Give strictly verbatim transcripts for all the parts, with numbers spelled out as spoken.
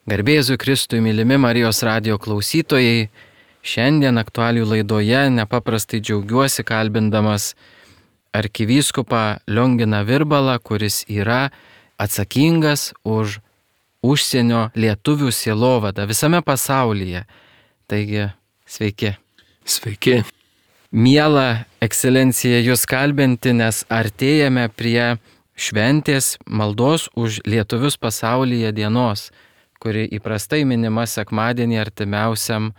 Garbėzui Kristui, mylimi Marijos radijo klausytojai, šiandien aktualijų laidoje nepaprastai džiaugiuosi kalbindamas arkivyskupą Lionginą Virbalą, kuris yra atsakingas už užsienio lietuvių sielovadą visame pasaulyje. Taigi, sveiki. Sveiki. Miela ekscelencija jūs kalbinti, nes artėjame prie šventės maldos už lietuvius pasaulyje dienos, kuri įprastai minima sekmadienį artimiausiam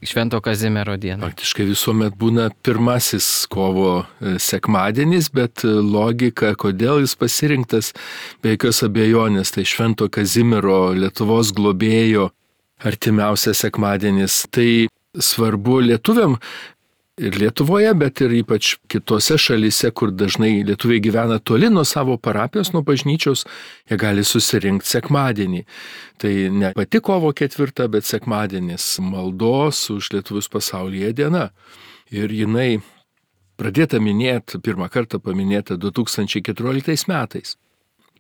Švento Kazimiero dieną. Faktiškai visuomet būna pirmasis kovo sekmadienis, bet logika, kodėl jis pasirinktas, be jokios abejonės, tai Švento Kazimiero Lietuvos globėjo artimiausias sekmadienis. Tai svarbu lietuviam ir Lietuvoje, bet ir ypač kitose šalyse, kur dažnai lietuviai gyvena toli nuo savo parapijos, nuo bažnyčios, jie gali susirinkti sekmadienį. Tai ne pati kovo ketvirta, bet sekmadienis maldos už lietuvius pasaulyje diena. Ir jinai pradėta minėti, pirmą kartą paminėta du tūkstančiai keturioliktais metais.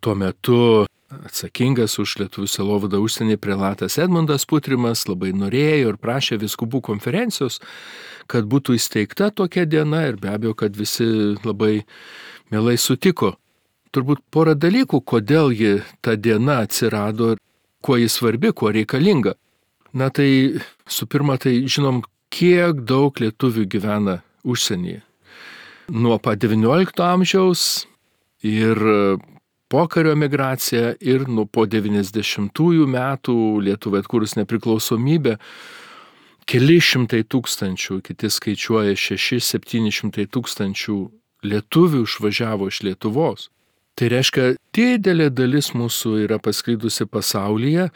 Tuo metu atsakingas už lietuvių sielovadą užsienį prelatas Edmundas Putrimas labai norėjo ir prašė vyskupų konferencijos, kad būtų įsteigta tokia diena ir be abejo, kad visi labai mielai sutiko. Turbūt porą dalykų, kodėl ji ta diena atsirado ir kuo ji svarbi, kuo reikalinga. Na tai su pirma, tai žinom, kiek daug lietuvių gyvena užsienyje. Nuo pat devyniolikto amžiaus ir pokario emigracija ir nuo po devyniasdešimtųjų metų Lietuvai atkūrus nepriklausomybę keli šimtai tūkstančių, kiti skaičiuoja šeši septyni šimtai tūkstančių lietuvių išvažiavo iš Lietuvos. Tai reiškia, didelė dalis mūsų yra pasklidusi pasaulyje,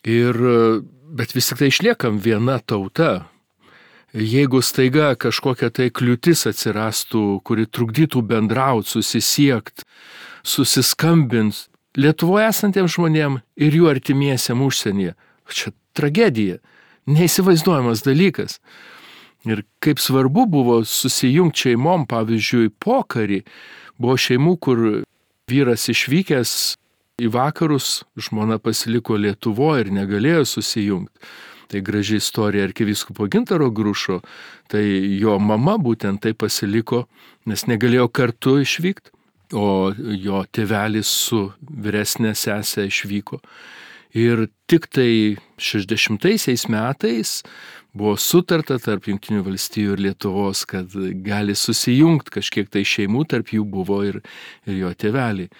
ir, bet vis tik tai išliekam viena tauta. Jeigu staiga kažkokia tai kliūtis atsirastų, kuri trukdytų bendrauti, susisiekti, susiskambint Lietuvoje esantiems žmonėms ir jų artimiesiems užsienyje. Čia tragedija, neįsivaizduojamas dalykas. Ir kaip svarbu buvo susijungti šeimom, pavyzdžiui, pokarį. Buvo šeimų, kur vyras išvykęs į vakarus, žmona pasiliko Lietuvoje ir negalėjo susijungti. Tai graži istorija arkivyskupo Gintaro Grušo, tai jo mama būtent tai pasiliko, nes negalėjo kartu išvykti. O jo tėvelis su vyresnė sesė išvyko. Ir tik tai šešiasdešimtaisiais metais buvo sutarta tarp Jungtinių valstijų ir Lietuvos, kad gali susijungti kažkiek tai šeimų, tarp jų buvo ir, ir jo tėveliai.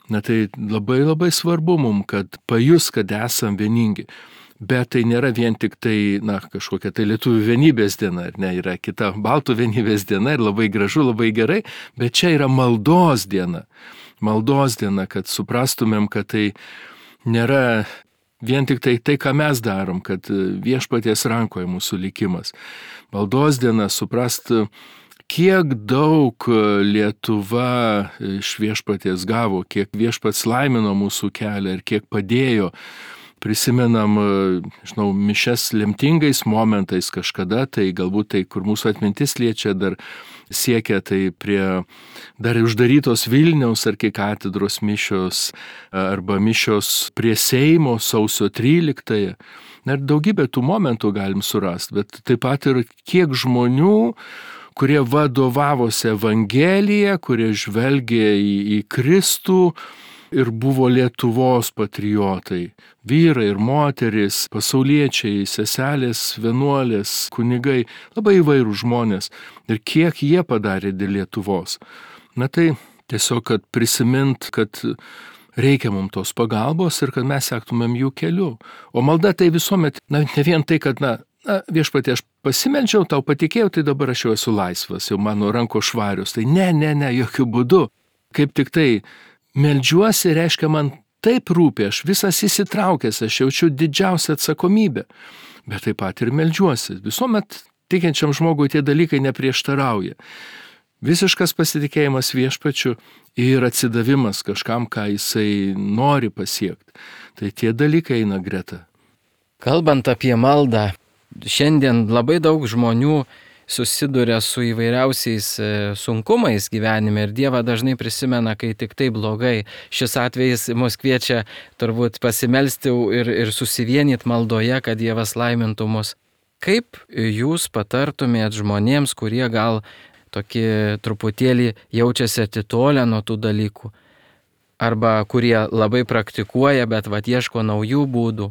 Na tai labai labai svarbu mums, kad pajus, kad esam vieningi. Bet tai nėra vien tik tai, na, kažkokia tai lietuvių vienybės diena, ar ne, yra kita baltų vienybės diena ir labai gražu, labai gerai, bet čia yra maldos diena. Maldos diena, kad suprastumėm, kad tai nėra vien tik tai tai, ką mes darom, kad viešpaties rankoje mūsų likimas. Maldos diena suprast, kiek daug Lietuva iš viešpaties gavo, kiek viešpats laimino mūsų kelią ir kiek padėjo. Prisimenam, žinau, mišias lemtingais momentais kažkada, tai galbūt tai, kur mūsų atmintis liečia, dar siekia tai prie dar uždarytos Vilniaus arkikatedros mišios arba mišios prie Seimo sausio tryliktąją. Ir daugybę tų momentų galim surasti, bet taip pat ir kiek žmonių, kurie vadovavosi Evangeliją, kurie žvelgė į, į Kristų, ir buvo Lietuvos patriotai, vyrai ir moterys, pasauliečiai, seselės, vienuolės, kunigai, labai įvairūs žmonės. Ir kiek jie padarė dėl Lietuvos. Na tai tiesiog, kad prisimint, kad reikia mums tos pagalbos ir kad mes sektumėm jų keliu. O malda tai visuomet, na, ne vien tai, kad, na, na viešpatie, aš pasimeldžiau, tau patikėjau, tai dabar aš jau esu laisvas, jau mano rankos švarios. Tai ne, ne, ne, jokių būdų. Kaip tik tai meldžiuosi, reiškia, man taip rūpi, aš visas įsitraukęs, aš jaučiu didžiausią atsakomybę, bet taip pat ir meldžiuosi. Visuomet tikinčiam žmogui tie dalykai neprieštarauja. Visiškas pasitikėjimas viešpačiu ir atsidavimas kažkam, ką jisai nori pasiekti. Tai tie dalykai eina greta. Kalbant apie maldą, šiandien labai daug žmonių susiduria su įvairiausiais sunkumais gyvenime ir Dievą dažnai prisimena, kai tik tai blogai. Šis atvejis mus kviečia turbūt pasimelsti ir, ir susivienyti maldoje, kad Dievas laimintų mus. Kaip jūs patartumėt žmonėms, kurie gal tokie truputėlį jaučiasi atitolę nuo tų dalykų, arba kurie labai praktikuoja, bet vat ieško naujų būdų?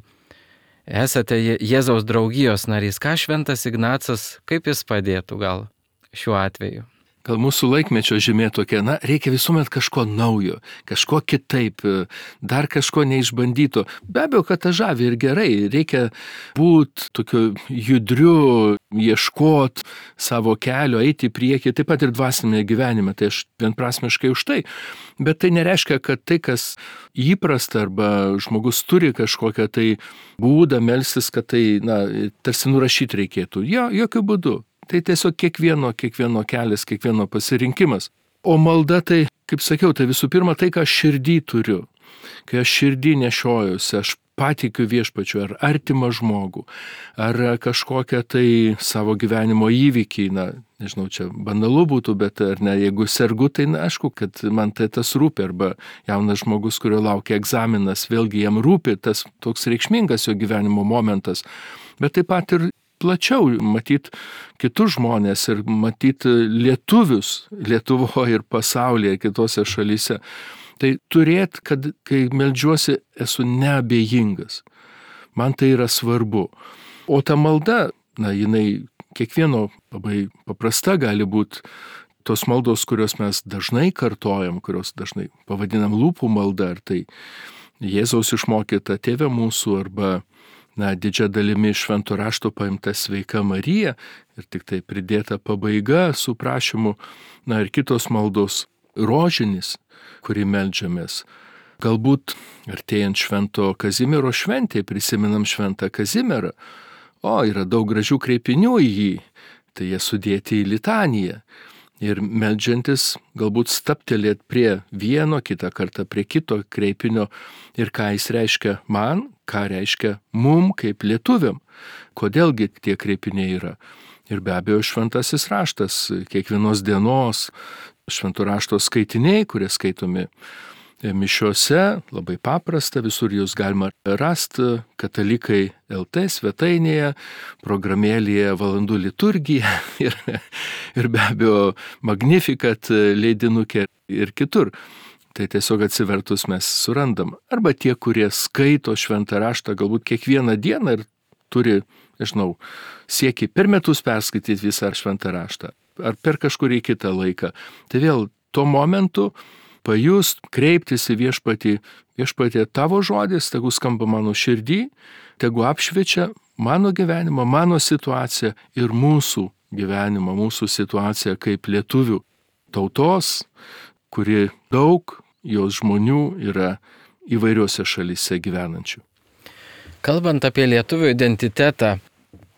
Esate Jėzaus draugijos narys. Ką šventas Ignacas, kaip jis padėtų gal šiuo atveju? Gal mūsų laikmečio žymė tokia, na, reikia visuomet kažko naujo, kažko kitaip, dar kažko neišbandyto. Be abejo, kad ta žavi ir gerai, reikia būti tokiu judriu, ieškot savo kelio, eiti į priekį, taip pat ir dvasinėme gyvenime, tai aš vienprasmiškai už tai. Bet tai nereiškia, kad tai, kas įprasta arba žmogus turi kažkokią tai būdą melstis, kad tai, na, tarsi nurašyti reikėtų. Jo, jokių būdų. Tai tiesiog kiekvieno, kiekvieno kelias, kiekvieno pasirinkimas. O malda tai, kaip sakiau, tai visų pirma tai, ką aš širdį turiu. Kai aš širdį nešiojuosi, aš patikiu viešpačiu ar artimą žmogų, ar kažkokią tai savo gyvenimo įvykį, na, nežinau, čia banalu būtų, bet ar ne, jeigu sergu, tai na, aišku, kad man tai tas rūpi, arba jaunas žmogus, kurio laukia egzaminas, vėlgi jam rūpi tas toks reikšmingas jo gyvenimo momentas, bet taip pat ir plačiau matyti kitus žmonės ir matyti lietuvius Lietuvoje ir pasaulyje, kitose šalyse. Tai turėt, kad kai meldžiuosi, esu neabejingas. Man tai yra svarbu. O ta malda, na, jinai kiekvieno labai paprasta gali būti. Tos maldos, kurios mes dažnai kartojam, kurios dažnai pavadinam lūpų malda, ar tai Jėzaus išmokyta Tėve mūsų, arba na, didžia dalimi švento rašto paimta Sveika Marija ir tik tai pridėta pabaiga su prašymu, na ir kitos maldos, rožinis, kurį meldžiamės. Galbūt artėjant švento Kazimiero šventėje prisimenam šventą Kazimierą. O, yra daug gražių kreipinių į jį, tai jie sudėti į litaniją. Ir meldžiantis galbūt staptelėt prie vieno, kitą kartą prie kito kreipinio ir ką jis reiškia man, ką reiškia mum kaip lietuviam, kodėlgi tie kreipiniai yra. Ir be abejo šventasis raštas, kiekvienos dienos švento rašto skaitiniai, kurie skaitomi mišiose, labai paprasta, visur jūs galima rasti katalikai L T svetainėje, programėlėje valandų liturgija ir, ir be abejo Magnificat leidinukė ir kitur. Tai tiesiog atsivertus mes surandam. Arba tie, kurie skaito šventą raštą galbūt kiekvieną dieną ir turi, nežinau, siekį per metus perskaityti visą šventą raštą, ar per kažkurį kitą laiką. Tai vėl tuo momentu pajust, kreiptis į viešpatį, viešpatį tavo žodis, tegu skamba mano širdį, tegu apšviečia mano gyvenimą, mano situaciją ir mūsų gyvenimą, mūsų situaciją kaip lietuvių tautos, kuri daug jos žmonių yra įvairiuose šalyse gyvenančių. Kalbant apie lietuvių identitetą,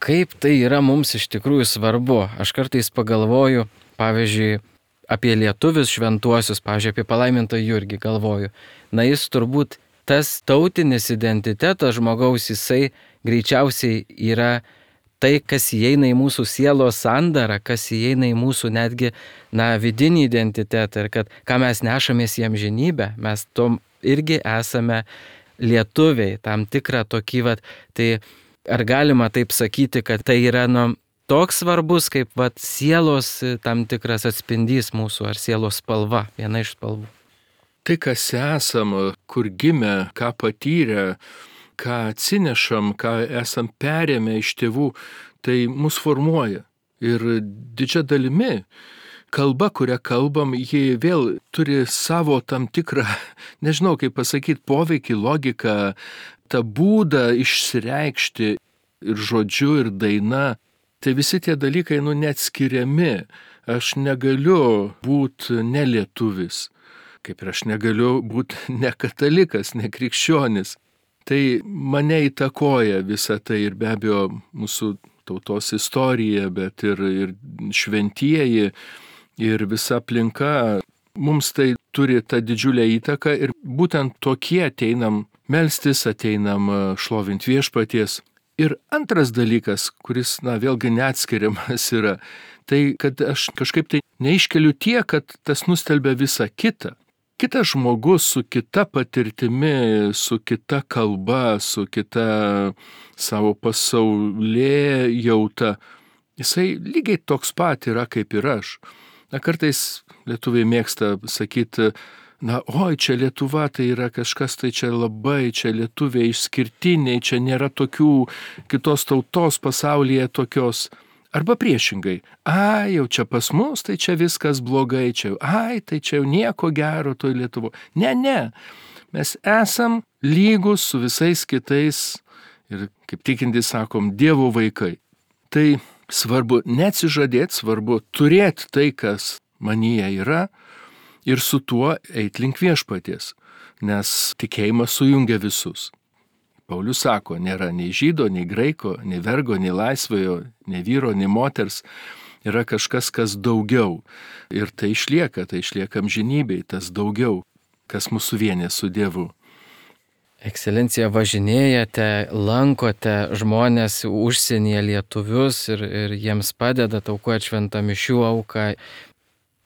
kaip tai yra mums iš tikrųjų svarbu, aš kartais pagalvoju, pavyzdžiui, apie lietuvius šventuosius, pavyzdžiui, apie palaimintą Jurgį galvoju. Na, jis turbūt tas tautinis identitetas žmogaus, jisai greičiausiai yra tai, kas įeina į mūsų sielos sandarą, kas įeina į mūsų netgi, na, vidinį identitetą ir kad, ką mes nešamės į amžinybę, mes tom irgi esame lietuviai, tam tikrą tokį, vat, tai ar galima taip sakyti, kad tai yra, nu, toks svarbus, kaip vat, sielos tam tikras atspindys mūsų, ar sielos spalva, viena iš spalvų. Tai, kas esam, kur gimę, ką patyrę, ką atsinešam, ką esam perėmę iš tėvų, tai mus formuoja. Ir didžia dalimi kalba, kurią kalbam, ji vėl turi savo tam tikrą, nežinau kaip pasakyti, poveikį, logiką, tą būdą išsireikšti ir žodžiu, ir daina. Tai visi tie dalykai, nu, neatskiriami. Aš negaliu būti nelietuvis, kaip ir aš negaliu būti nekatalikas, nekrikščionis. Tai mane įtakoja visa tai ir be abejo mūsų tautos istorija, bet ir, ir šventieji, ir visa aplinka. Mums tai turi tą didžiulę įtaką ir būtent tokie ateinam melstis, ateinam šlovint viešpaties. Ir antras dalykas, kuris, na, vėlgi neatskiriamas yra, tai kad aš kažkaip tai neiškeliu tiek, kad tas nustelbia visą kitą. Kitas žmogus su kita patirtimi, su kita kalba, su kita savo pasaulėjauta, jisai lygiai toks pat yra kaip ir aš. Na, kartais lietuviai mėgsta sakyti, na, oi, čia Lietuva, tai yra kažkas, tai čia labai, čia lietuviai išskirtiniai, čia nėra tokių kitos tautos pasaulyje tokios. Arba priešingai, ai, jau čia pas mus, tai čia viskas blogai, čia, ai, tai čia jau nieko gero toj Lietuvo. Ne, ne, mes esam lygus su visais kitais ir, kaip tikintys sakom, Dievo vaikai. Tai svarbu neatsižadėti, svarbu turėti tai, kas manyje yra ir su tuo eit link viešpaties, nes tikėjimas sujungia visus. Paulius sako, nėra nei žydo, nei graiko, nei vergo, nei laisvojo, nei vyro, nei moters. Yra kažkas, kas daugiau. Ir tai išlieka, tai išlieka amžinybei, tas daugiau, kas mūsų vienė su Dievu. Ekscelencija, važinėjate, lankote žmonės užsienyje, lietuvius ir, ir jiems padedate aukoti šventą mišių auką.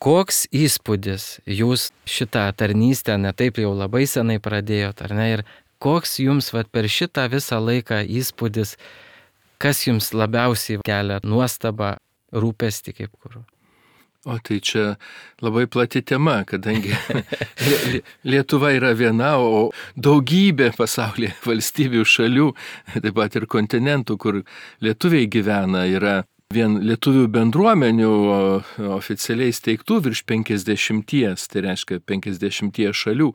Koks įspūdis jūs šitą tarnystę ne taip jau labai senai pradėjot, ar ne? Ir koks jums vat, per šitą visą laiką įspūdis, kas jums labiausiai kelia nuostabą, rūpestį kaip kur? O tai čia labai plati tema, kadangi Lietuva yra viena, o daugybė pasaulyje valstybių šalių, taip pat ir kontinentų, kur lietuviai gyvena, yra vien lietuvių bendruomenių oficialiai steigtų virš penkiasdešimties, tai reiškia penkiasdešimties šalių,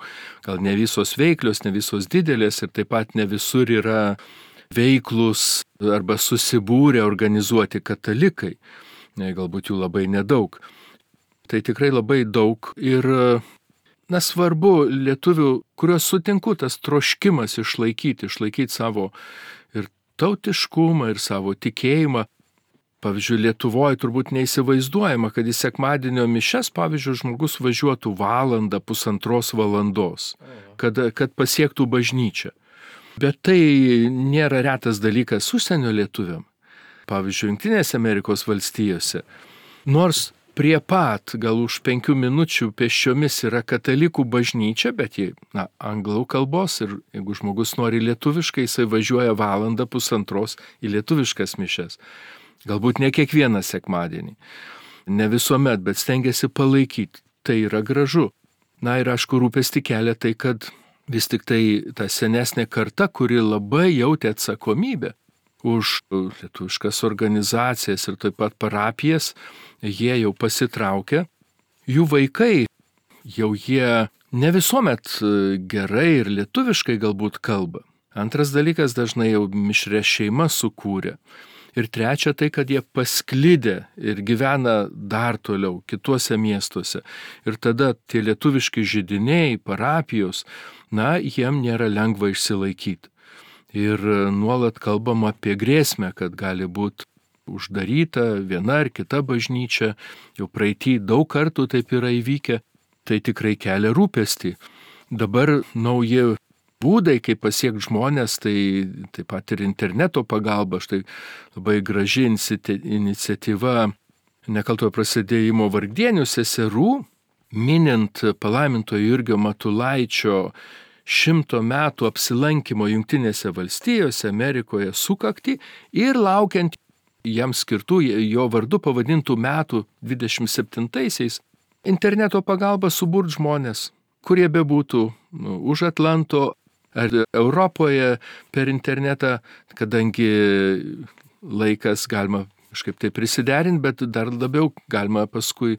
gal ne visos veiklios, ne visos didelės ir taip pat ne visur yra veiklus arba susibūrę organizuoti katalikai, galbūt jų labai nedaug. Tai tikrai labai daug ir, na, svarbu lietuvių, kuriuos sutinku, tas troškimas išlaikyti, išlaikyti savo ir tautiškumą, ir savo tikėjimą. Pavyzdžiui, Lietuvoje turbūt neįsivaizduojama, kad į sekmadienio mišias, pavyzdžiui, žmogus važiuotų valandą, pusantros valandos, kad, kad pasiektų bažnyčią. Bet tai nėra retas dalykas užsienio lietuviam. Pavyzdžiui, Jungtinėse Amerikos valstijose. Nors prie pat, gal už penkių minučių pėsčiomis yra katalikų bažnyčia, bet jie, na, anglų kalbos ir jeigu žmogus nori lietuviškai, jisai važiuoja valandą, pusantros į lietuviškas mišias. Galbūt ne kiekvieną sekmadienį. Ne visuomet, bet stengiasi palaikyti. Tai yra gražu. Na ir aišku, rūpestį kelia tai, kad vis tik tai ta senesnė karta, kuri labai jautė atsakomybę už lietuviškas organizacijas ir taip pat parapijas, jie jau pasitraukia. Jų vaikai, jau jie ne visuomet gerai ir lietuviškai galbūt kalba. Antras dalykas, dažnai jau mišrė šeima sukūrė. Ir trečia tai, kad jie pasklidę ir gyvena dar toliau kituose miestuose. Ir tada tie lietuviški židiniai, parapijos, na, jiem nėra lengva išsilaikyti. Ir nuolat kalbama apie grėsmę, kad gali būti uždaryta viena ar kita bažnyčia. Jau praeitį daug kartų taip yra įvykę. Tai tikrai kelia rūpestį. Dabar nauji būdai, kaip pasiekti žmonės, tai taip pat ir interneto pagalba. Štai labai graži iniciatyva Nekaltojo prasidėjimo vargdienių seserų, minint palaimintojo Jurgio Matulaičio šimto metų apsilankimo Jungtinėse valstijose, Amerikoje sukaktį ir laukiant jam skirtų jo vardu pavadintų metų dvidešimt septintaisiais interneto pagalba suburt žmonės, kurie bebūtų nu, už Atlanto ar Europoje per internetą, kadangi laikas galima kažkaip tai prisiderinti, bet dar labiau galima paskui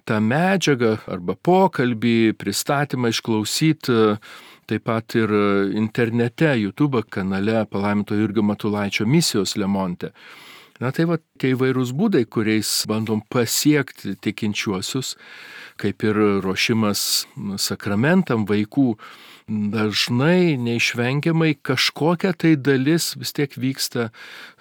tą medžiagą arba pokalbį, pristatymą išklausyti taip pat ir internete, YouTube kanale palaimintojo Jurgio Matulaičio misijos Lemonte. Na tai va, tie įvairūs būdai, kuriais bandom pasiekti tikinčiuosius, kaip ir ruošimas sakramentam vaikų, dažnai neišvengiamai kažkokia tai dalis vis tiek vyksta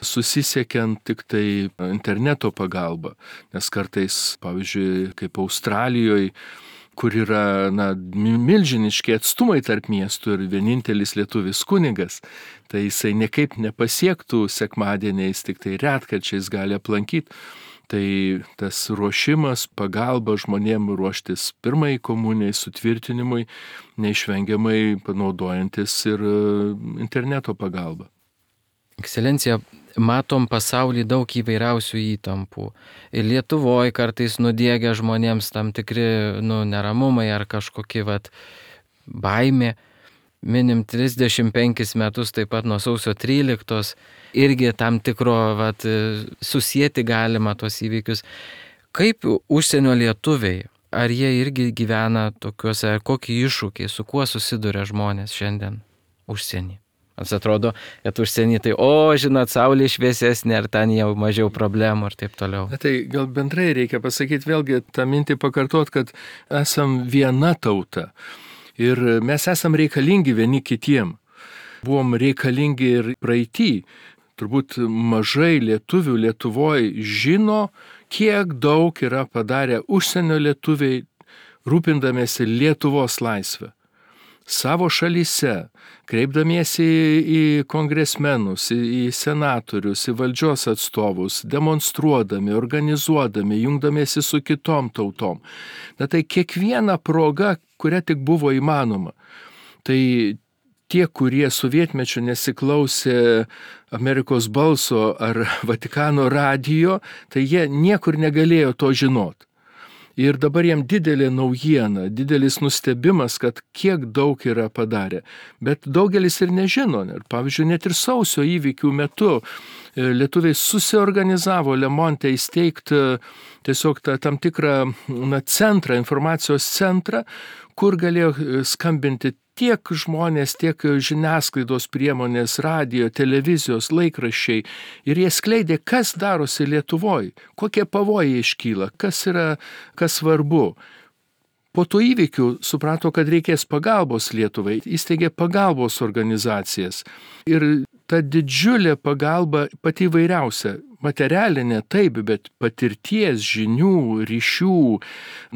susisiekiant tik tai interneto pagalba. Nes kartais, pavyzdžiui, kaip Australijoje, kur yra na, milžiniški atstumai tarp miestų ir vienintelis lietuvis kunigas, tai jisai niekaip nepasiektų sekmadieniais, tik tai retkarčiais gali aplankyti. Tai tas ruošimas, pagalba žmonėm ruoštis pirmai komunijai, sutvirtinimui, neišvengiamai panaudojantis ir interneto pagalbą. Ekscelencija, matom pasaulyje daug įvairiausių įtampų. Ir Lietuvoje kartais nudiegia žmonėms tam tikri nu, neramumai ar kažkokie vat, baimė. Minim trisdešimt penkis metus taip pat nuo sausio tryliktos, irgi tam tikro vat, susieti galima tuos įvykius. Kaip užsienio lietuviai, ar jie irgi gyvena tokiuose, kokie iššūkiai, su kuo susiduria žmonės šiandien užsienį? Mums atrodo, kad užsienį tai, o, žinot, saulė šviesesnė, ar ten jau mažiau problemų ir taip toliau. Na, tai gal bendrai reikia pasakyti vėlgi tą mintį pakartot, kad esam viena tauta. Ir mes esam reikalingi vieni kitiem. Buvom reikalingi ir praeitį. Turbūt mažai lietuvių Lietuvoje žino, kiek daug yra padarę užsienio lietuviai, rūpindamiesi Lietuvos laisvę. Savo šalyse, kreipdamiesi į kongresmenus, į senatorius, į valdžios atstovus, demonstruodami, organizuodami, jungdamiesi su kitom tautom. Na tai kiekviena proga, kuria tik buvo įmanoma. Tai tie, kurie sovietmečiu nesiklausė Amerikos balso ar Vatikano radijo, tai jie niekur negalėjo to žinot. Ir dabar jam didelė naujiena, didelis nustebimas, kad kiek daug yra padarę. Bet daugelis ir nežino. Ir, pavyzdžiui, net ir sausio įvykių metu lietuviai susiorganizavo Lemonte įsteigti tiesiog tą tam tikrą na, centrą, informacijos centrą, kur galėjo skambinti tiek žmonės, tiek žiniasklaidos priemonės, radio, televizijos, laikraščiai. Ir jie skleidė, kas darosi Lietuvoje, kokie pavojai iškyla, kas yra, kas svarbu. Po tų įvykių suprato, kad reikės pagalbos Lietuvai, įsteigė pagalbos organizacijas. Ir ta didžiulė pagalba pati įvairiausia, materialinė taip, bet patirties, žinių, ryšių,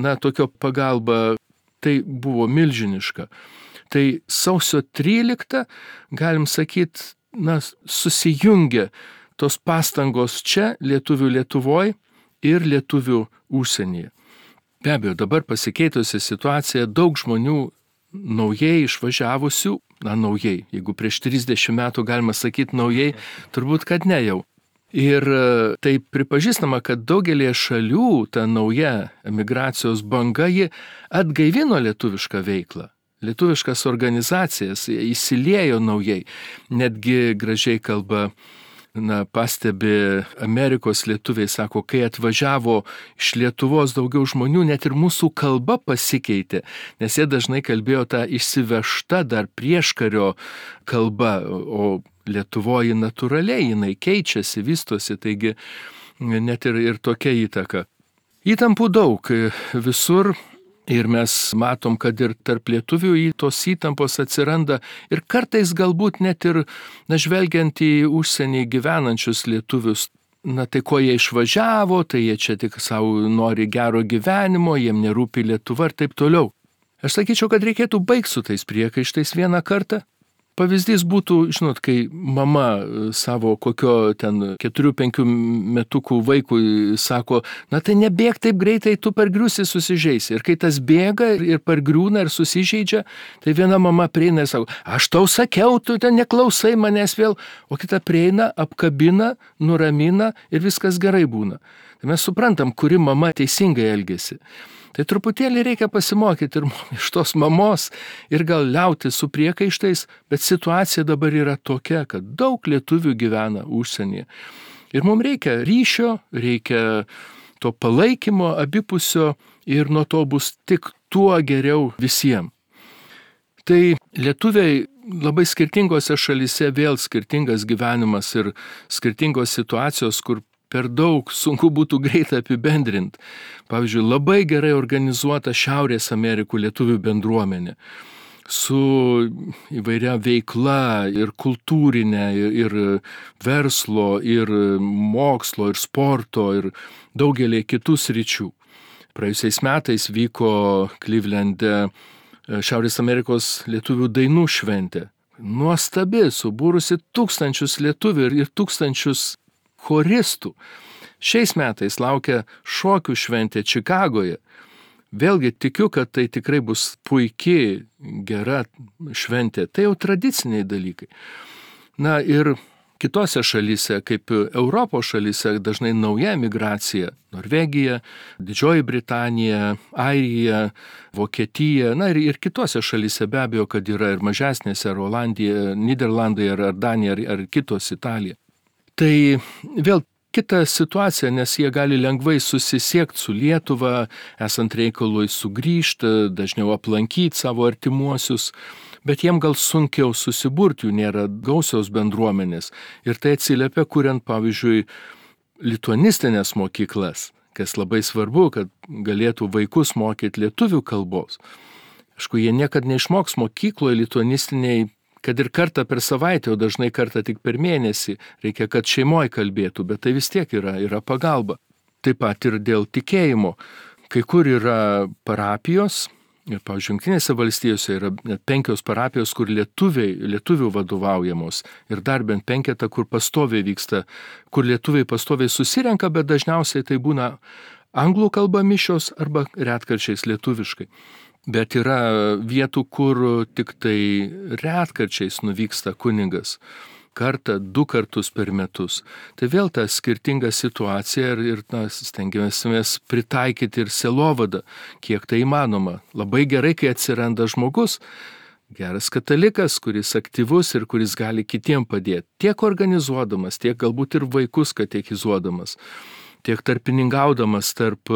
na, tokio pagalba, tai buvo milžiniška. Tai sausio tryliktą, galim sakyti, na, susijungia tos pastangos čia, lietuvių Lietuvoje ir lietuvių užsienyje. Be abejo, dabar pasikeitusi situacija, daug žmonių naujai išvažiavusių, na, naujai, jeigu prieš trisdešimt metų galima sakyti naujai, turbūt, kad ne jau. Ir tai pripažįstama, kad daugelį šalių ta nauja emigracijos banga, ji atgaivino lietuvišką veiklą. Lietuviškas organizacijas įsiliejo naujai. Netgi gražiai kalba, na, pastebi Amerikos lietuviai, sako, kai atvažiavo iš Lietuvos daugiau žmonių, net ir mūsų kalba pasikeitė, nes jie dažnai kalbėjo tą išsivežtą dar prieškario kalbą, o Lietuvoje natūraliai jinai keičiasi, vystosi, taigi net ir, ir tokia įtaka. Įtampų daug visur. Ir mes matom, kad ir tarp lietuvių tos įtampos atsiranda ir kartais galbūt net ir, na, žvelgiant į užsienį gyvenančius lietuvius, na, tai ko jie išvažiavo, tai jie čia tik savo nori gero gyvenimo, jiem nerūpi Lietuva ir taip toliau. Aš sakyčiau, kad reikėtų baigti su tais priekaištais vieną kartą. Pavyzdys būtų, žinot, kai mama savo kokio ten keturių penkių metukų vaikui sako, na tai nebėg taip greitai, tu pargriusi susižeisi. Ir kai tas bėga ir pargriūna ir susižeidžia, tai viena mama prieina ir sako, aš tau sakiau, tu ten neklausai manęs vėl, o kita prieina, apkabina, nuramina ir viskas gerai būna. Tai mes suprantam, kuri mama teisingai elgiasi. Tai truputėlį reikia pasimokyti ir iš tos mamos ir gal liauti su priekaištais, bet situacija dabar yra tokia, kad daug lietuvių gyvena užsienyje. Ir mums reikia ryšio, reikia to palaikymo abipusio ir nuo to bus tik tuo geriau visiems. Tai lietuviai labai skirtingose šalyse vėl skirtingas gyvenimas ir skirtingos situacijos, kur per daug sunku būtų greitai apibendrinti. Pavyzdžiui, labai gerai organizuota Šiaurės Amerikų lietuvių bendruomenė su įvairia veikla ir kultūrinė, ir, ir verslo, ir mokslo, ir sporto, ir daugelį kitų sričių. praėjusiais metais vyko Clevelande Šiaurės Amerikos lietuvių dainų šventė. Nuostabi, subūrusi tūkstančius lietuvių ir tūkstančius choristų. Šiais metais laukia šokių šventė Čikagoje. Vėlgi tikiu, kad tai tikrai bus puikiai, gera šventė. Tai jau tradiciniai dalykai. Na ir kitose šalyse, kaip Europos šalyse, dažnai nauja migracija. Norvegija, Didžioji Britanija, Airija, Vokietija, na ir, ir kitose šalyse be abejo, kad yra ir mažesnėse, ar Olandija, Niderlandai, ar, ar Danija, ar, ar kitos Italija. Tai vėl kita situacija, nes jie gali lengvai susisiekti su Lietuva, esant reikalui sugrįžti, dažniau aplankyti savo artimuosius, bet jiem gal sunkiau susiburti, jų nėra gausios bendruomenės. Ir tai atsiliepia, kuriant, pavyzdžiui, lituanistinės mokyklas, kas labai svarbu, kad galėtų vaikus mokyti lietuvių kalbos. Aišku, jie niekad neišmoks mokykloje lituanistiniai, kad ir kartą per savaitę, o dažnai kartą tik per mėnesį, reikia, kad šeimoje kalbėtų, bet tai vis tiek yra, yra pagalba. Taip pat ir dėl tikėjimo. Kai kur yra parapijos, ir, pavyzdžiui, Jungtinėse valstijose yra net penkios parapijos, kur lietuviai, lietuvių vadovaujamos, ir dar bent penketa, kur pastoviai vyksta, kur lietuviai pastoviai susirenka, bet dažniausiai tai būna anglų kalba mišios arba retkarčiais lietuviškai. Bet yra vietų, kur tik tai retkarčiais nuvyksta kunigas. Kartą, du kartus per metus. Tai vėl ta skirtinga situacija ir, ir na, stengiamės pritaikyti ir sielovadą, kiek tai įmanoma. Labai gerai, kai atsiranda žmogus, geras katalikas, kuris aktyvus ir kuris gali kitiem padėti. Tiek organizuodamas, tiek galbūt ir vaikus katechizuodamas, tiek tarpininkaudamas tarp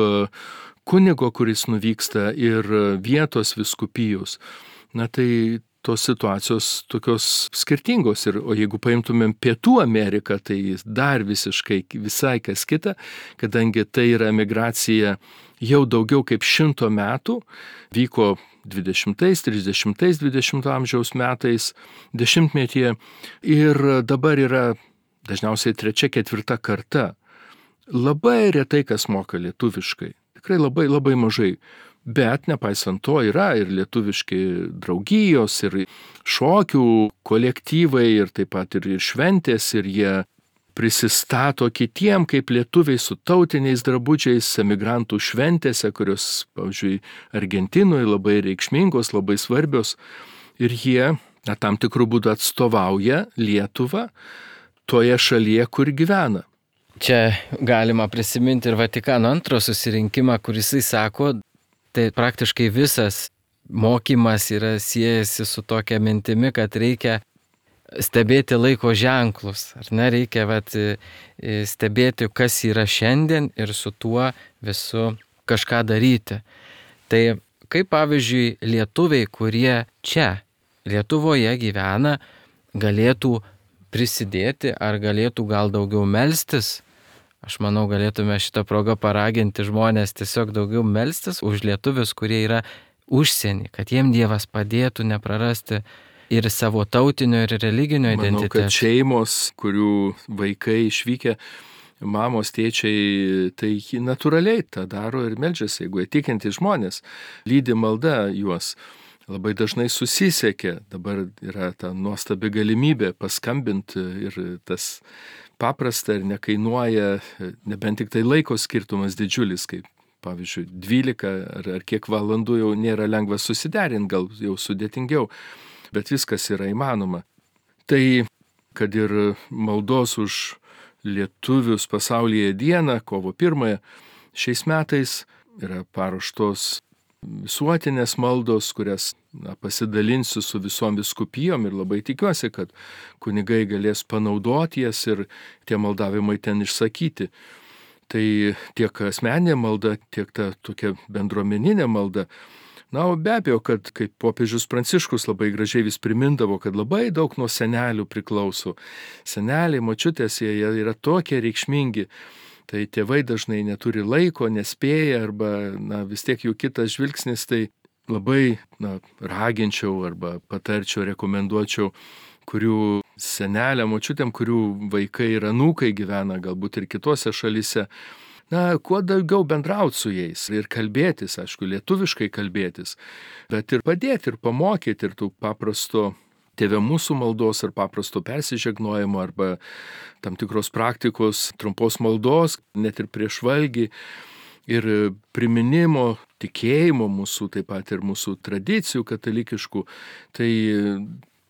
kunigo, kuris nuvyksta, ir vietos vyskupijos. Na tai tos situacijos tokios skirtingos. Ir, o jeigu paimtumėm Pietų Ameriką, tai dar visiškai visai kas kita, kadangi tai yra migracija jau daugiau kaip šimto metų, vyko dvidešimtais, trisdešimtais, dvidešimto amžiaus metais, dešimtmetyje, ir dabar yra dažniausiai trečia, ketvirta karta. Labai retai kas moka lietuviškai. Tikrai labai, labai mažai. Bet nepaisant to yra ir lietuviški draugijos, ir šokių kolektyvai, ir taip pat ir šventės, ir jie prisistato kitiem kaip lietuviai su tautiniais drabužiais emigrantų šventėse, kurios, pavyzdžiui, Argentinoje labai reikšmingos, labai svarbios. Ir jie na, tam tikrų būdų atstovauja Lietuvą toje šalyje, kur gyvena. Čia galima prisiminti ir Vatikano antro susirinkimą, kuris jis sako, tai praktiškai visas mokymas yra siejasi su tokia mintimi, kad reikia stebėti laiko ženklus, ar ne, reikia vat, stebėti, kas yra šiandien ir su tuo visu kažką daryti. Tai kaip pavyzdžiui lietuviai, kurie čia Lietuvoje gyvena, galėtų prisidėti ar galėtų gal daugiau melstis. Aš manau, galėtume šitą progą paraginti žmonės tiesiog daugiau melstis už lietuvius, kurie yra užsienį, kad jiem Dievas padėtų neprarasti ir savo tautinio ir religinio identiteto. Manau, kad šeimos, kurių vaikai išvykę, mamos, tėčiai, tai natūraliai tą daro ir meldžiasi, jeigu jie tikinti žmonės, lydi malda juos. Labai dažnai susisiekia, dabar yra ta nuostabi galimybė paskambinti ir tas paprasta ir nekainuoja, nebent tik tai laiko skirtumas didžiulis, kaip pavyzdžiui dvylika ar, ar kiek valandų jau nėra lengva susiderinti, gal jau sudėtingiau, bet viskas yra įmanoma. Tai, kad ir maldos už lietuvius pasaulyje dieną, kovo pirmąją, šiais metais yra paruoštos visuotinės maldos, kurias na, pasidalinsiu su visom vyskupijom ir labai tikiuosi, kad kunigai galės panaudoti jas ir tie maldavimai ten išsakyti. Tai tiek asmeninė malda, tiek ta tokia bendruomeninė malda. Na, o be abejo, kad kaip popiežius Pranciškus labai gražiai vis primindavo, kad labai daug nuo senelių priklauso. Seneliai, močiutės, jie yra tokie reikšmingi. Tai tėvai dažnai neturi laiko, nespėja, arba na, vis tiek jų kitas žvilgsnis, tai labai na, raginčiau arba patarčiau, rekomenduočiau, kurių senelė, močiutėm, kurių vaikai ir anūkai gyvena, galbūt ir kitose šalyse, na, kuo daugiau bendrauti su jais ir kalbėtis, aišku, lietuviškai kalbėtis, bet ir padėti, ir pamokyti, ir tų paprasto Tėve mūsų maldos ar paprasto persižegnojimo arba tam tikros praktikos, trumpos maldos, net ir prieš valgį, ir priminimo, tikėjimo mūsų, taip pat ir mūsų tradicijų katalikiškų, tai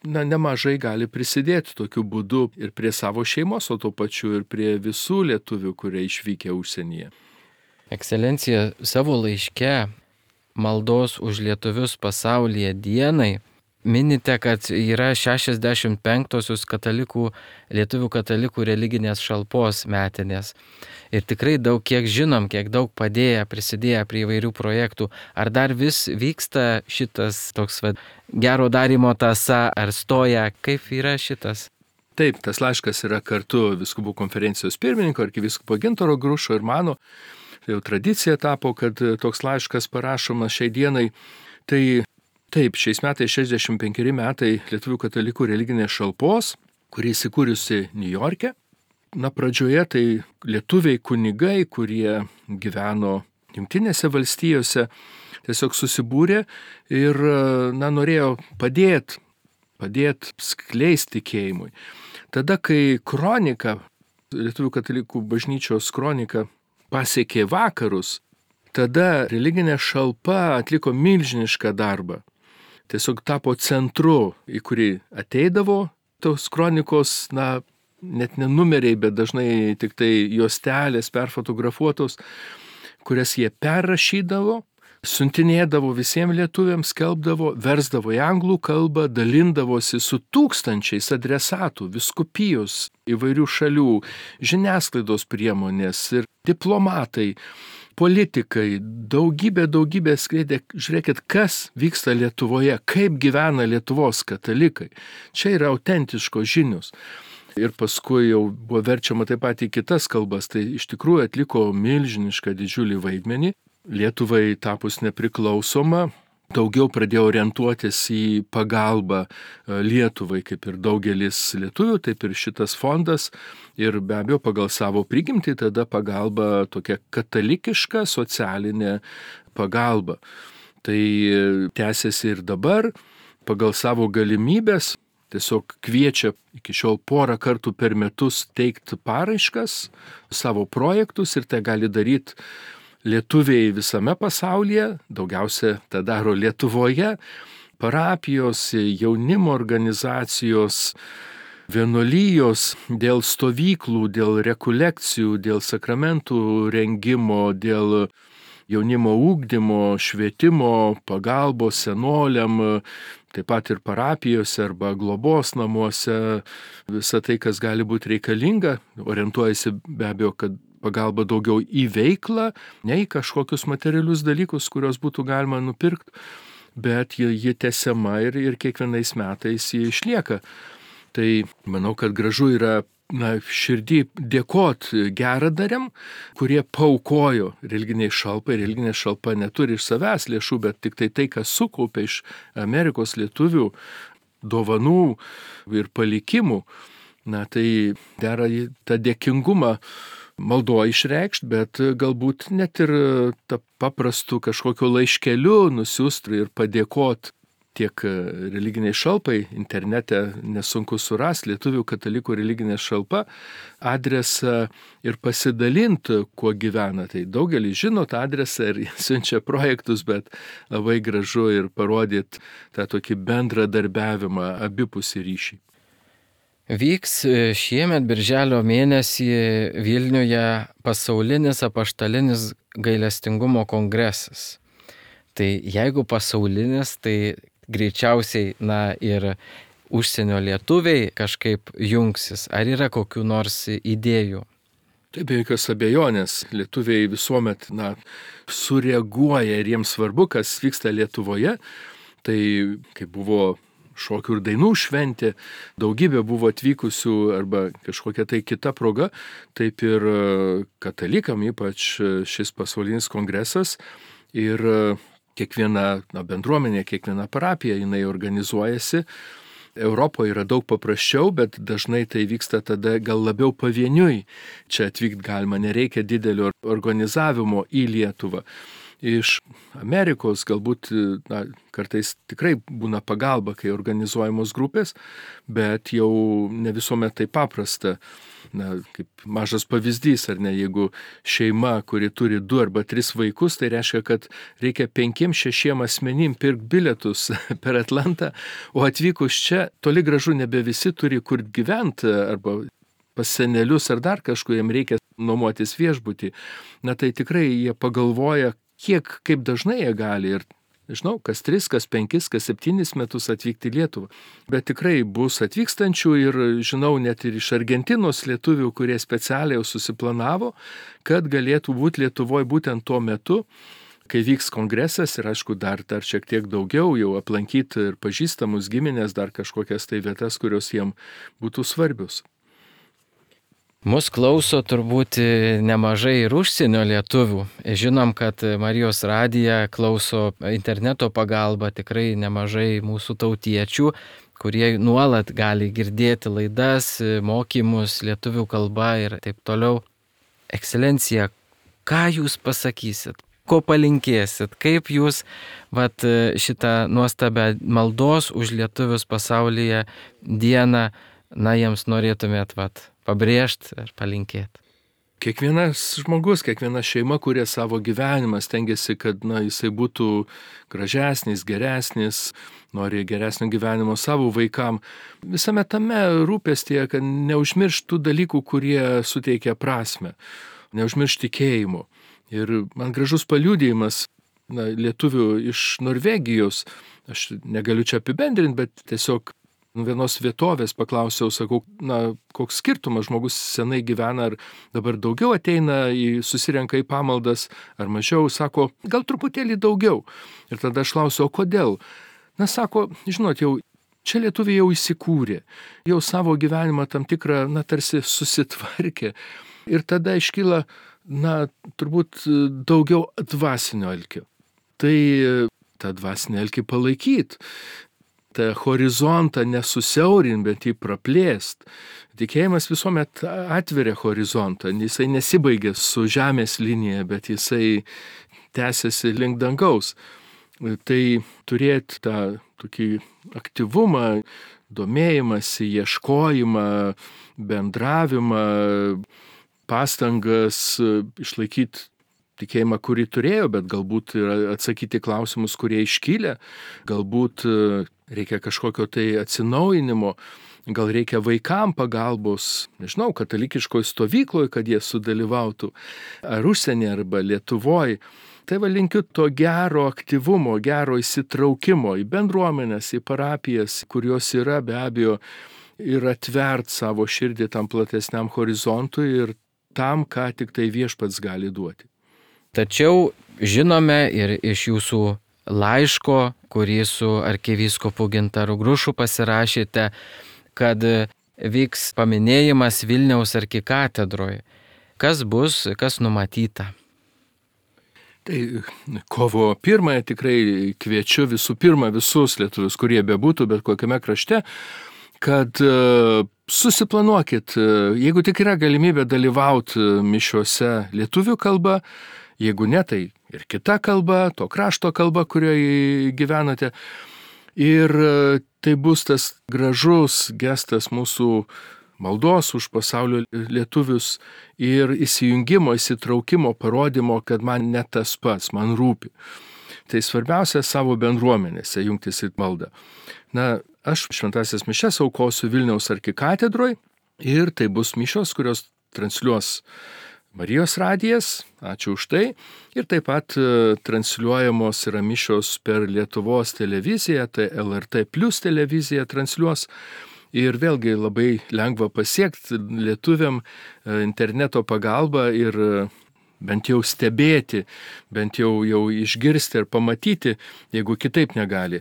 na, nemažai gali prisidėti tokiu būdu ir prie savo šeimos, o tuo pačiu ir prie visų lietuvių, kurie išvykę užsienyje. Ekscelencija, savo laiške maldos už lietuvius pasaulyje dienai minite, kad yra šešiasdešimt penktosios katalikų, lietuvių katalikų religinės šalpos metinės. Ir tikrai daug, kiek žinom, kiek daug padėję, prisidėję prie įvairių projektų. Ar dar vis vyksta šitas toks va, gero darimo tąsa, ar stoja, kaip yra šitas? Taip, tas laiškas yra kartu Vyskupų konferencijos pirmininko, arkivyskupo Gintaro Grušo ir mano. Tai jau tradicija tapo, kad toks laiškas parašomas šiai dienai. Tai taip, šiais metais šešiasdešimt penkeri metai Lietuvių katalikų religinės šalpos, kuri įsikūrusi Niujorke. Na, pradžioje tai lietuviai kunigai, kurie gyveno Jungtinėse valstijose, tiesiog susibūrė ir, na, norėjo padėti, padėti skleisti tikėjimui. Tada, kai kronika, Lietuvių katalikų bažnyčios kronika pasiekė vakarus, tada religinė šalpa atliko milžinišką darbą. Tiesiog tapo centru, į kurį ateidavo tos kronikos, na, net ne numeriai, bet dažnai tik tai juostelės perfotografuotos, kurias jie perrašydavo, siuntinėdavo visiems lietuviams, skelbdavo, versdavo į anglų kalbą, dalindavosi su tūkstančiais adresatų, vyskupijos įvairių šalių, žiniasklaidos priemonės ir diplomatai, politikai, daugybė, daugybė skleidė, žiūrėkit, kas vyksta Lietuvoje, kaip gyvena Lietuvos katalikai. Čia yra autentiškos žinios. Ir paskui jau buvo verčiama taip pat į kitas kalbas, tai iš tikrųjų atliko milžinišką didžiulį vaidmenį. Lietuvai tapus nepriklausoma, daugiau pradėjo orientuotis į pagalbą Lietuvai, kaip ir daugelis lietuvių, taip ir šitas fondas. Ir be abejo, pagal savo prigimtį tada pagalba tokia katalikiška socialinė pagalba. Tai tęsiasi ir dabar, pagal savo galimybės, tiesiog kviečia iki šiol porą kartų per metus teikti paraiškas, savo projektus ir tai gali daryti lietuviai visame pasaulyje, daugiausia tą daro Lietuvoje, parapijos, jaunimo organizacijos, vienuolijos dėl stovyklų, dėl rekolekcijų, dėl sakramentų rengimo, dėl jaunimo ugdymo, švietimo, pagalbos senoliam, taip pat ir parapijose arba globos namuose, visa tai, kas gali būti reikalinga, orientuojasi be abejo, kad pagalba daugiau į veiklą, ne į kažkokius materialius dalykus, kurios būtų galima nupirkti, bet ji, ji tęsiama ir, ir kiekvienais metais ji išlieka. Tai manau, kad gražu yra na, širdį dėkot geradariam, kurie paaukojo religiniai šalpai. Religinė šalpa neturi iš savęs lėšų, bet tik tai tai, kas sukaupė iš Amerikos lietuvių dovanų ir palikimų. Na, tai dera tą dėkingumą maldoje išreikšti, bet galbūt net ir tą paprastų kažkokio laiškeliu nusiųsti ir padėkoti tiek religiniai šalpai, internete nesunku surasti Lietuvių katalikų religinė šalpa, adresą ir pasidalinti, kuo gyvena. Tai daugelis žino tą adresą ir siunčia projektus, bet labai gražu ir parodyti tą tokį bendradarbiavimą, abipusį ryšį. Vyks šiemet birželio mėnesį Vilniuje pasaulinis apaštalinis gailestingumo kongresas. Tai jeigu pasaulinis, tai greičiausiai na, ir užsienio lietuviai kažkaip jungsis. Ar yra kokių nors idėjų? Tai be jokios abejonės, lietuviai visuomet na, sureaguoja ir jiems svarbu, kas vyksta Lietuvoje. Tai kaip buvo šokių ir dainų šventė, daugybė buvo atvykusių arba kažkokia tai kita proga, taip ir katalikam, ypač šis pasaulinis kongresas ir kiekviena na, bendruomenė, kiekviena parapija, jinai organizuojasi Europoje yra daug paprasčiau, bet dažnai tai vyksta tada gal labiau pavieniui. Čia atvykti galima, nereikia didelio organizavimo į Lietuvą. Iš Amerikos galbūt na, kartais tikrai būna pagalba, kai organizuojamos grupės, bet jau ne visuomet tai paprasta. Na, kaip mažas pavyzdys, ar ne, jeigu šeima, kuri turi du arba tris vaikus, tai reiškia, kad reikia penkiem šešiem asmenim pirkti bilietus per Atlantą, o atvykus čia toli gražu nebe visi turi kur gyventi arba pas senelius ar dar kažkur, jiem reikia nuomotis viešbutį. Na tai tikrai jie pagalvoja, kiek, kaip dažnai jie gali ir nežinau, kas tris, kas penkis, kas septynis metus atvykti į Lietuvą. Bet tikrai bus atvykstančių ir žinau net ir iš Argentinos lietuvių, kurie specialiai jau susiplanavo, kad galėtų būti Lietuvoje būtent tuo metu, kai vyks kongresas ir aišku dar, dar šiek tiek daugiau jau aplankyti ir pažįstamus giminės, dar kažkokias tai vietas, kurios jiem būtų svarbius. Mus klauso turbūt nemažai ir užsienio lietuvių. Žinom, kad Marijos radiją klauso interneto pagalba tikrai nemažai mūsų tautiečių, kurie nuolat gali girdėti laidas, mokymus lietuvių kalba ir taip toliau. Ekscelencija, ką jūs pasakysit? Ko palinkėsit? Kaip jūs vat, šitą nuostabią maldos už lietuvius pasaulyje dieną, na, jiems norėtumėt vat, pabrėžti ir palinkėti? Kiekvienas žmogus, kiekviena šeima kuria savo gyvenimą, stengiasi, kad na, jisai būtų gražesnis, geresnis, nori geresnio gyvenimo savo vaikam. Visame tame rūpestyje, kad neužmirštų dalykų, kurie suteikia prasme, neužmiršti tikėjimo. Ir man gražus paliudijimas na, lietuvių iš Norvegijos, aš negaliu čia apibendrinti, bet tiesiog vienos vietovės paklausiau, sakau, na, koks skirtumas, žmogus senai gyvena, ar dabar daugiau ateina, į, susirenka į pamaldas, ar mažiau, sako, gal truputėlį daugiau. Ir tada aš klausiau, o kodėl? Na, sako, žinot, jau čia lietuviai jau įsikūrė, jau savo gyvenimą tam tikrą, na, tarsi susitvarkė. Ir tada iškyla, na, turbūt daugiau dvasinio alkio. Tai tą dvasinį alkį palaikyti. tą horizontą nesusiaurint, bet jį praplėst. Tikėjimas visuomet atveria horizontą, jisai nesibaigia su žemės linija, bet jisai tęsiasi link dangaus. Tai turėti tą tokį aktyvumą, domėjimąsi, ieškojimą, bendravimą, pastangas išlaikyti tikėjimą, kurį turėjo, bet galbūt atsakyti klausimus, kurie iškylė, galbūt reikia kažkokio tai atsinaujinimo, gal reikia vaikam pagalbos, nežinau, katalikiškoje stovykloje, kad jie sudalyvautų, ar užsienį, arba Lietuvoje. Tai va linkiu to gero aktyvumo, gero įsitraukimo į bendruomenės, į parapijas, kurios yra be abejo, ir atvert savo širdį tam platesniam horizontui ir tam, ką tik tai viešpats gali duoti. Tačiau žinome ir iš jūsų laiško, kurį su arkivyskupu Gintaru Grušu pasirašėte, kad vyks paminėjimas Vilniaus arkikatedroje. Kas bus, kas numatyta? Tai kovo pirmąją tikrai kviečiu visų pirma visus lietuvius, kurie bebūtų, bet kokiame krašte, kad susiplanuokit, jeigu tik yra galimybė dalyvauti mišiuose lietuvių kalba, jeigu ne, tai ir kita kalba, to krašto kalba, kurioje gyvenate. Ir tai bus tas gražus gestas mūsų maldos už pasaulio lietuvius ir įsijungimo, įsitraukimo, parodymo, kad man ne tas pats, man rūpi. Tai svarbiausia savo bendruomenėse jungtis į maldą. Na, aš šventąsias mišias aukosiu Vilniaus arkikatedroje ir tai bus mišios, kurios transliuos Marijos radijas, ačiū už tai, ir taip pat transliuojamos yra mišios per Lietuvos televiziją, tai L R T plus televizija transliuos. Ir vėlgi labai lengva pasiekti lietuviam interneto pagalba ir bent jau stebėti, bent jau, jau išgirsti ir pamatyti, jeigu kitaip negali.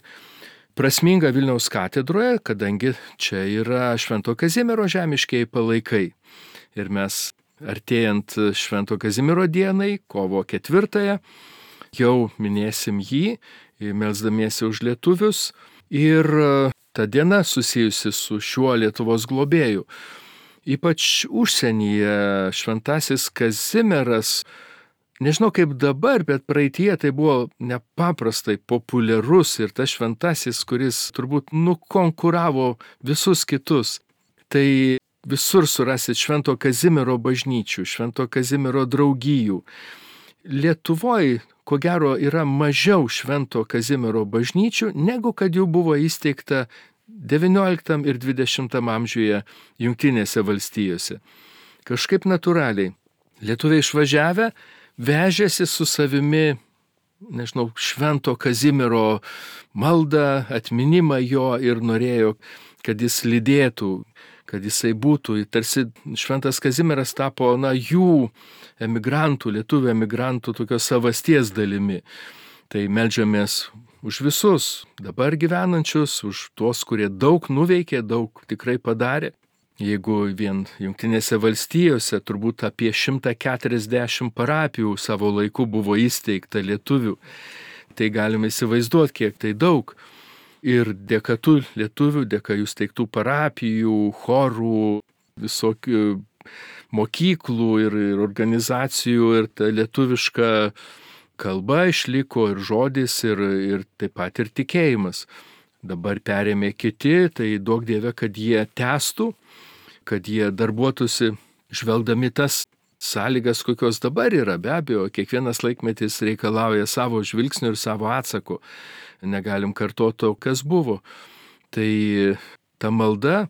Prasminga Vilniaus katedroje, kadangi čia yra Švento Kazimiero žemiškieji palaikai. Ir mes artėjant Švento Kazimiero dienai, kovo ketvirtąją, jau minėsim jį, melsdamiesi už lietuvius. Ir ta diena susijusi su šiuo Lietuvos globėju. Ypač užsienyje šventasis Kazimieras, nežinau kaip dabar, bet praeitie tai buvo nepaprastai populiarus ir tas šventasis, kuris turbūt nukonkuravo visus kitus. Tai visur surasit Švento Kazimiero bažnyčių, Švento Kazimiero draugijų. Lietuvoje, ko gero, yra mažiau Švento Kazimiero bažnyčių, negu kad jų buvo įsteigta devynioliktam ir dvidešimtam amžiuje Jungtinėse valstijose. Kažkaip natūraliai. Lietuviai išvažiavę vežėsi su savimi, nežinau, Švento Kazimiero maldą, atminimą jo ir norėjo, kad jis lydėtų, kad jisai būtų. Tarsi Šventas Kazimieras tapo, na, jų emigrantų, lietuvių emigrantų tokios savasties dalimi. Tai meldžiamės už visus dabar gyvenančius, už tuos, kurie daug nuveikė, daug tikrai padarė. Jeigu vien Jungtinėse valstijose turbūt apie šimtą keturiasdešimt parapijų savo laiku buvo įsteigta lietuvių, tai galime įsivaizduoti, kiek tai daug. Ir dėka tų lietuvių, dėka jų steigtų parapijų, chorų, visokių mokyklų ir, ir organizacijų, ir ta lietuviška kalba išliko ir žodis, ir, ir taip pat ir tikėjimas. Dabar perėmė kiti, tai duok Dieve, kad jie tęstų, kad jie darbuotųsi žvelgdami tas sąlygas, kokios dabar yra. Be abejo, kiekvienas laikmetis reikalauja savo žvilgsnių ir savo atsako. Negalim kartoti to, kas buvo. Tai ta malda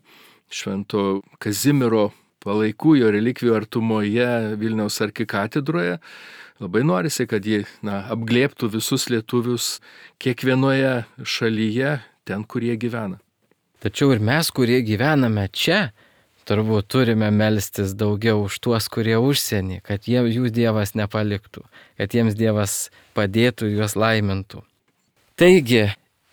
Švento Kazimiero palaikų jo relikvijų artumoje Vilniaus arkikatedroje, labai norisi, kad ji, na, apglėbtų visus lietuvius kiekvienoje šalyje, ten, kur jie gyvena. Tačiau ir mes, kurie gyvename čia, turbūt turime melstis daugiau už tuos, kurie užsienį, kad jie, jų Dievas nepaliktų, kad jiems Dievas padėtų, juos laimintų. Taigi,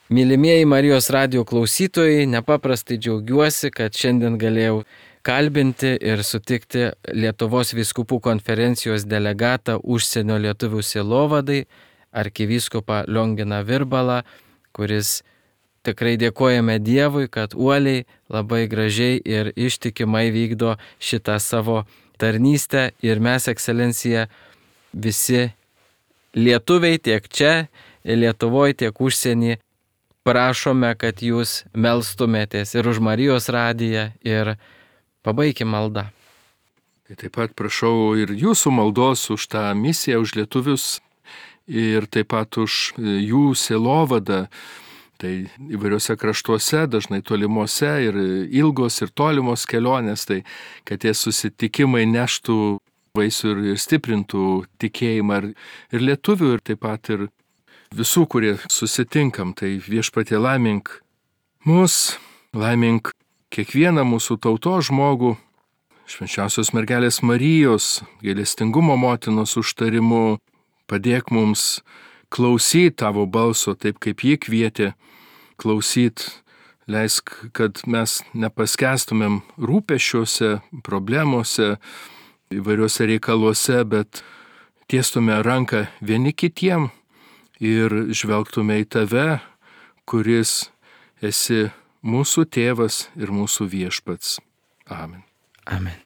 mylimieji Marijos radijo klausytojai, nepaprastai džiaugiuosi, kad šiandien galėjau kalbinti ir sutikti Lietuvos vyskupų konferencijos delegatą užsienio lietuvių sielovadai, arkivyskupą Lionginą Virbalą, kuris tikrai dėkojame Dievui, kad uoliai, labai gražiai ir ištikimai vykdo šitą savo tarnystę ir mes, ekscelencija, visi lietuviai tiek čia, Lietuvoje, tiek užsienį, prašome, kad jūs melstumėtės ir už Marijos radiją ir pabaikim maldą. Tai taip pat prašau ir jūsų maldos už tą misiją, už lietuvius ir taip pat už jų sielovadą. Tai įvairiuose kraštuose, dažnai tolimuose ir ilgos ir tolimos kelionės, tai kad tie susitikimai neštų vaisių ir, ir stiprintų tikėjimą ir, ir lietuvių ir taip pat ir visų, kurie susitinkam. Tai Viešpatie laimink mus, laimink kiekvieną mūsų tautos žmogų, švenčiausios mergelės Marijos, gailestingumo motinos užtarimu, padėk mums klausyt tavo balso taip, kaip ji kvietė klausyt. Leisk, kad mes nepaskestumėm rūpesčiuose, problemuose, įvairiuose reikaluose, bet tiestume ranką vieni kitiem ir žvelgtume į tave, kuris esi mūsų tėvas ir mūsų viešpats. Amen. Amen.